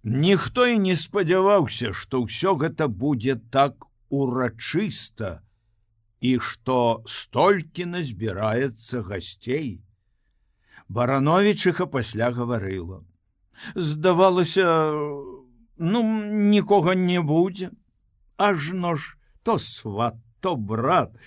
Ніхто і не спадзяваўся, што ўсё гэта будзе так урачыста і што столькі назбіраецца гасцей. Барановічиха пасля гаварыла. Здавалася, нікога не будзе. Ажно ж то сват, то брат,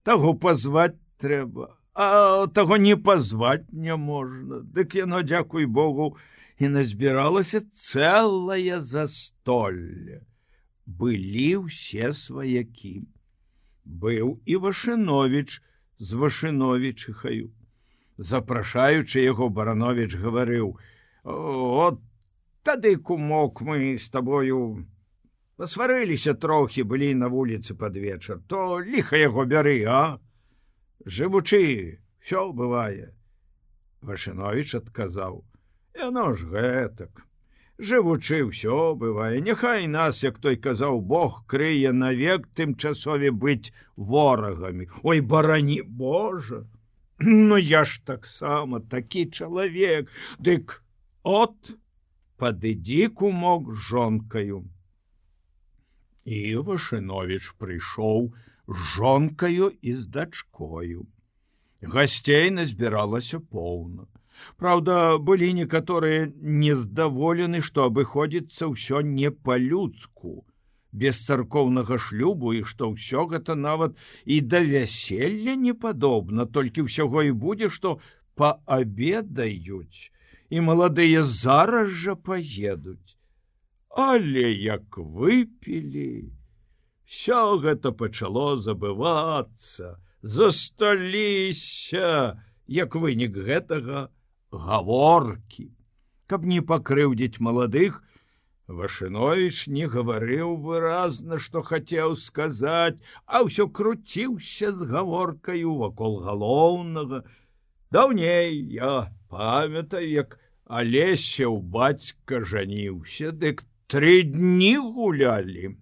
таго пазваць трэба, а таго не пазваць не можна. Дык яно, дзякуй Богу, і назбіралася цэлае застолле. Былі ўсе сваякі. Быў і Вашыновіч з Вашыновічихаю. Запрашаючы яго, Барановіч гаварыў: «От тады, кумок, мы з табою пасварыліся трохі, былі на вуліцы пад вечар, то ліха яго бяры, а? Жывучы, ўсё бывае». Вашыновіч адказаў: «Яно ж гэтак. Жывучы, ўсё бывае. Няхай нас, як той казаў, Бог крые навек тымчасове быць ворагамі. Ой, барані Божа! Я ж таксама такі чалавек. Дык от, падыдзі, кумок, з жонкаю». І Вашыновіч прыйшоў з жонкаю і з дачкою. Гасцей назбіралася поўна. Праўда, былі некаторыя нездаволены, што абыходзіцца ўсё не па-людску, без царкоўнага шлюбу, і што ўсё гэта нават і да вяселля не падобна, толькі ўсяго і будзе, што паабедаюць, і маладыя зараз жа паедуць. Але як выпілі, ўсё гэта пачало забывацца, засталіся, як вынік гэтага, гаворкі. Каб не пакрыўдзіць маладых, Вашыновіч не гаварыў выразна, што хацеў сказаць, а ўсё круціўся з гаворкаю вакол галоўнага. Даўней я памятаю, як Алесяў бацька жаніўся, дык 3 дні гулялі.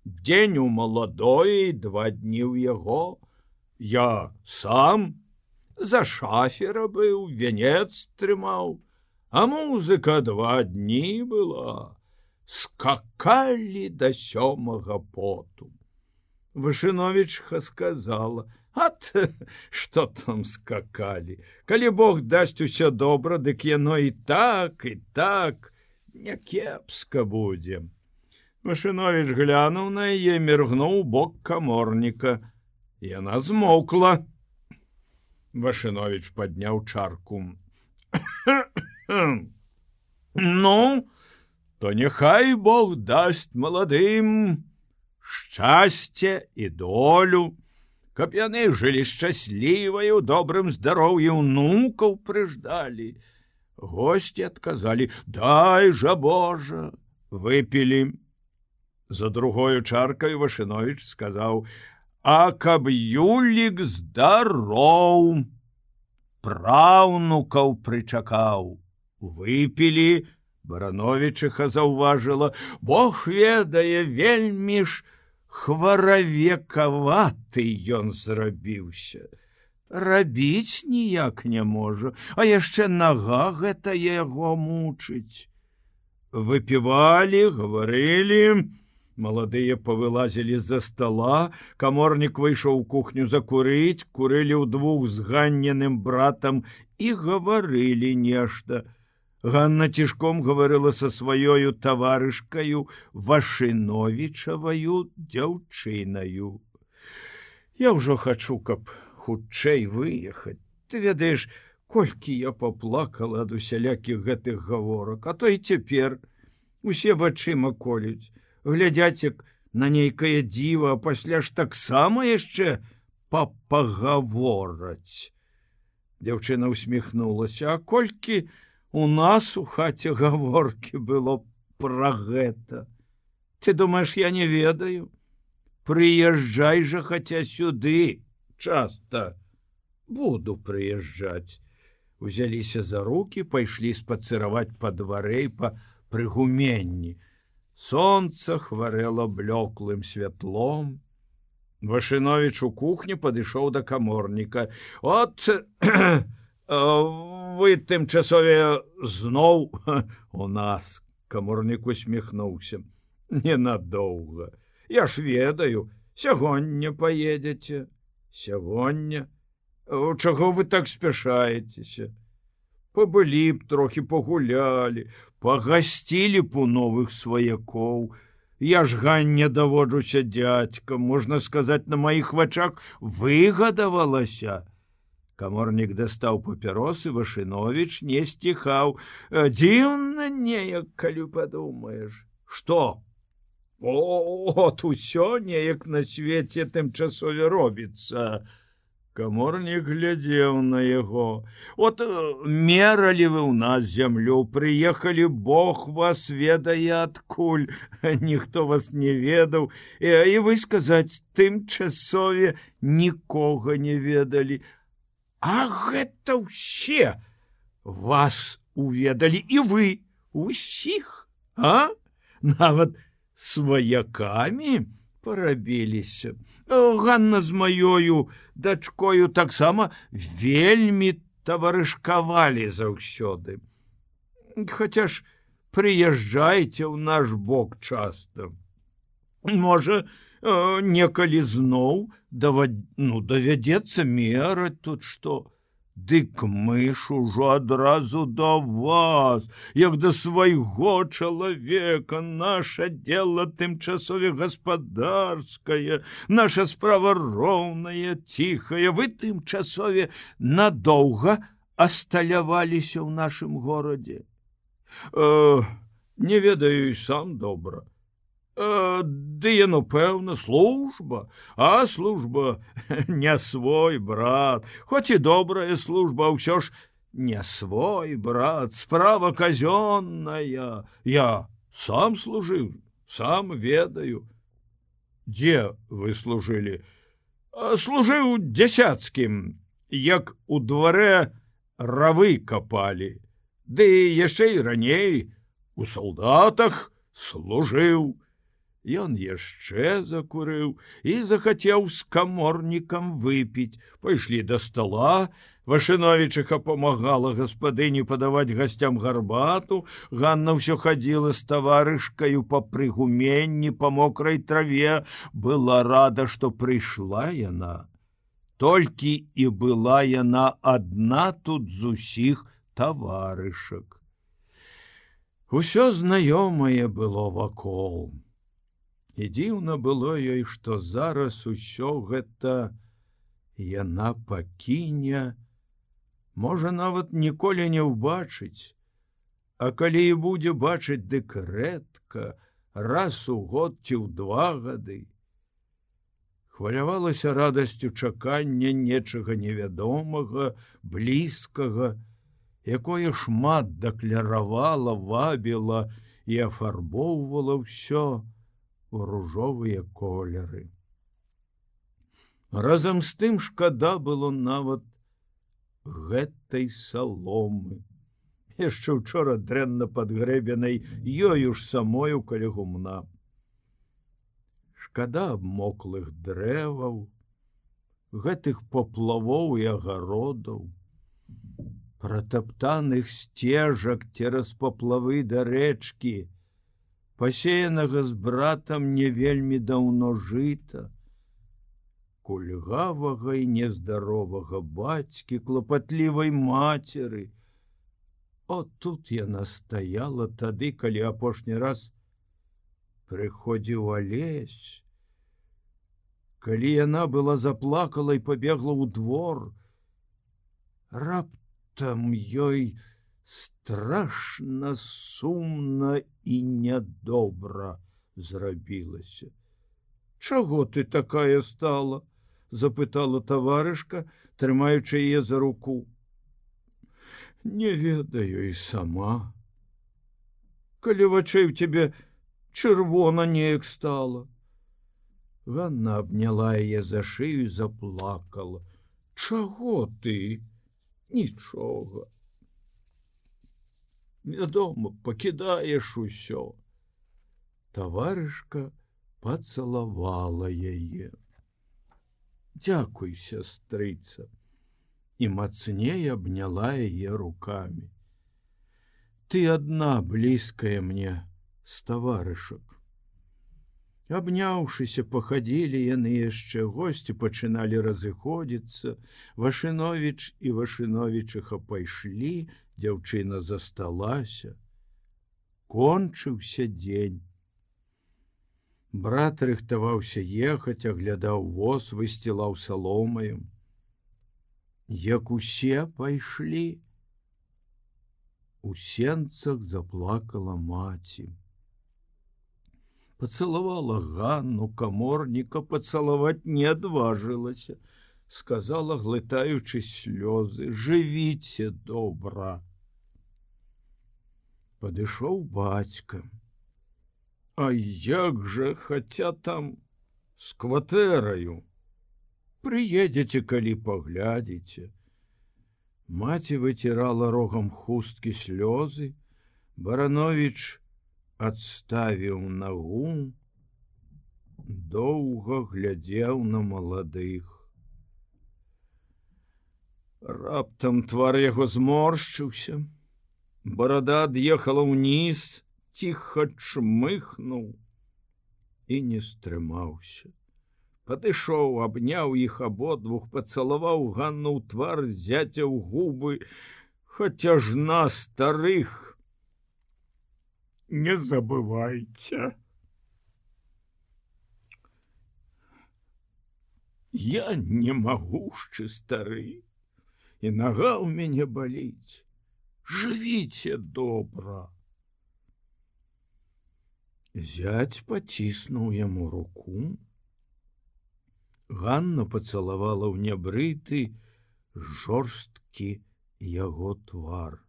Дзень у маладое і 2 дні ў яго. Я сам за шафера быў, вянец трымаў, а музыка 2 дні была. Скакалі да 7-га поту. Вашыновічха сказала: «Ат, што там скакалі? Калі Бог дасць усё добра, дык яно і так някепска будзе». Вашыновіч глянуў на яе, міргнуў бок каморніка. Яна змоўкла. Вашыновіч падняў чарку. «Ну, то няхай Бог дасць маладым шчасце і долю, каб яны жылі шчаслівыя, у добрым здароўі, унукаў прыждалі». Госці адказалі: «Дай жа Божа». Выпілі. За другою чаркаю Вашыновіч сказаў: «А каб Юлік здароў, праўнукаў прычакаў». Выпілі. Барановічиха заўважыла: «Бог ведае, вельмі ж хваравекаваты ён зрабіўся. Рабіць ніяк не можа, а яшчэ нага гэта яго мучыць». Выпівалі, гаварылі. Маладыя павылазілі з-за стола, каморнік выйшаў у кухню закурыць, курылі ўдвух з Ганніным братам і гаварылі нешта. Ганна цішком гаварыла са сваёю таварышкаю, Вашыновічаваю дзяўчынаю. «Я ўжо хачу, каб хутчэй выехаць. Ты ведаеш, колькі я паплакала ад усялякіх гэтых гаворак, а то і цяпер усе вачыма колюць, глядзяць як на нейкае дзіва, а пасля ж таксама яшчэ пагавораць». Дзяўчына усміхнулася: «А колькі у нас у хаце гаворкі было пра гэта? Ты думаеш, я не ведаю? Прыязджай жа хаця сюды часта». «Буду прыязджаць». Узяліся за рукі, пайшлі спацыраваць па дварэ і па прыгуменні. Сонца хварэла блёклым святлом. Вашыновіч у кухні падышоў да каморніка. «От, вы тымчасове зноў у нас Каморнік усміхнуўся. Ненадоўга. Я ж ведаю, сягоння паедзеце. Сягоння? Чаго вы так спяшаецеся? Пабылі б трохі, пагулялі, пагасцілі б у новых сваякоў. Я ж Ганне даводжуся дзядзькам, можна сказаць, на маіх вачах выгадавалася. Каморнік дастаў папіросы, Вашыновіч не сціхаў. Дзіўна неяк, калі падумаеш. Што? От усё неяк на свеце тымчасове робіцца. Каморнік глядзеў на яго. От мералі вы ў нас зямлю, прыехалі, Бог вас ведае адкуль, ніхто вас не ведаў, і вы сказаць, тымчасове нікога не ведалі. А гэта ўсе вас уведалі, і вы усіх, а? Нават сваякамі парабіліся. Ганна з маёю дачкою таксама вельмі таварышкавалі заўсёды. Хаця ж прыязджайце ў наш бок часта. Можа, некалі зноў давядзецца мераць тут што. Дык мы ж ужо адразу да вас, як да свайго чалавека, наша дело тымчасове гаспадарскае, наша справа роўная, ціхая, вы тымчасове надоўга асталяваліся ў нашым горадзе. Не ведаю і сам добра. Ды яно, пэўна, служба, а служба не свой брат, хоць і добрая служба, ўсё ж не свой брат, справа казённая. Я сам служыў, сам ведаю. Дзе вы служылі? Служыў дзясяцкім, як у дварэ равы капалі, ды яшчэ і раней у салдатах служыў. Ён яшчэ закурыў і захацеў з каморнікам выпіць. Пайшлі да стала, Вашыновічыха памагала гаспадыні падаваць гасцям гарбату, Ганна ўсё хадзіла з таварышкаю па прыгуменні, па мокрай траве, была рада, што прыйшла яна. Толькі і была яна адна тут з усіх таварышак. Усё знаёмае было вакол. І дзіўна было ёй, што зараз усё гэта яна пакіне, можа, нават ніколі не ўбачыць, а калі і будзе бачыць, дык рэдка, раз у год ці ў 2 гады. Хвалявалася радасцю чакання нечага невядомага, блізкага, якое шмат дакляравала, вабіла і афарбоўвала ўсё у ружовыя колеры. Разам з тым шкада было нават гэтай саломы, яшчэ учора дрэнна падгрэбенай ёю ж самою каля гумна. Шкада абмоклых дрэваў, гэтых поплавоў і агародаў, пратаптаных сцежак цераз поплавы да рэчкі, пасеянага з братам не вельмі даўно жыта, кульгавага і нездаровага бацькі, клапатлівай мацеры. От тут яна стаяла тады, калі апошні раз прыходзіў Алесь, калі яна была заплакала і пабегла ў двор. Раптам ёй страшна сумна і нядобра зрабілася. Чаго ты такая стала? Запытала таварышка, трымаючы яе за руку. Не ведаю і сама. Калі вачэй у цябе чырвона неяк стала. Ганна абняла яе за шыю і заплакала. Чаго ты? Нічога. Вядома, пакідаеш усё. Таварышка пацалавала яе. Дзякуй, сястрыца, і мацней абняла яе рукамі. Ты адна блізкая мне з таварышак. Абняўшыся, пахадзілі яны яшчэ, госці пачыналі разыходзіцца. Вашыновіч і Вашыновічыха пайшлі, дзяўчына засталася. Кончыўся дзень. Брат рыхтаваўся ехаць, аглядаў воз, высцілаў саломаю. Як усе пайшлі, у сенцах заплакала маці. Пацалавала Ганну, каморніка пацалаваць не адважылася, сказала, глытаючы слёзы: «Жывіце добра». Падышоў бацька. А як жа, хаця там з кватэраю. Прыедзеце, калі паглядзіце. Маці выцірала рогам хусткі слёзы. Барановіч адставіў нагу, доўга глядзеў на маладых. Раптам твар яго зморшчыўся. Барада ад'ехала ўніз, ціха чмыхнуў і не стрымаўся. Падышоў, абняў іх абодвух, пацалаваў Ганну ў твар, зяця ў губы. Хаця ж на старых не забывайте. Я не магушчы стары, і нага ў мяне баліць. Жывіце добра. Зяць паціснуў яму руку. Ганна пацалавала ў нябрыты, жорсткі яго твар.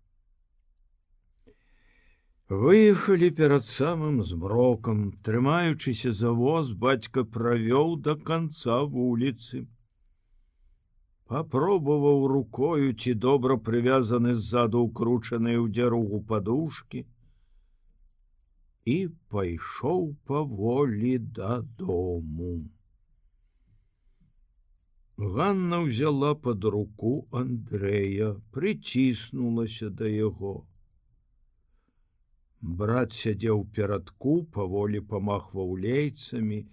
Выехалі перад самым змрокам. Трымаючыся за воз, бацька правёў да канца вуліцы. Папробаваў рукою, ці добра прывязаны ззаду ўкручаныя ў дзяругу падушкі, і пайшоў паволі дадому. Ганна ўзяла пад руку Андрэя, прыціснулася да яго. Брат сядзеў перадку, паволі памахваў лейцамі.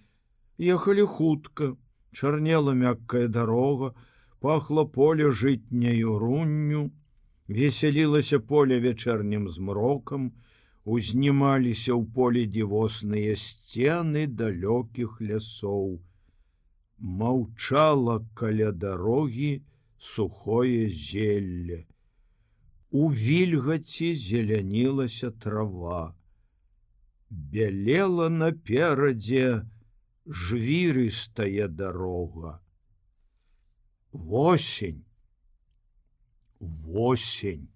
Ехалі хутка, чарнела мяккая дарога, пахло поле жытняю рунню, весялілася поле вечэрнім змрокам, узнімаліся ў поле дзівосныя сцены далёкіх лясоў. Маўчала каля дарогі сухое зелле. У вільгаці зелянілася трава. Бялела наперадзе жвірыстая дарога. Восень. Восень.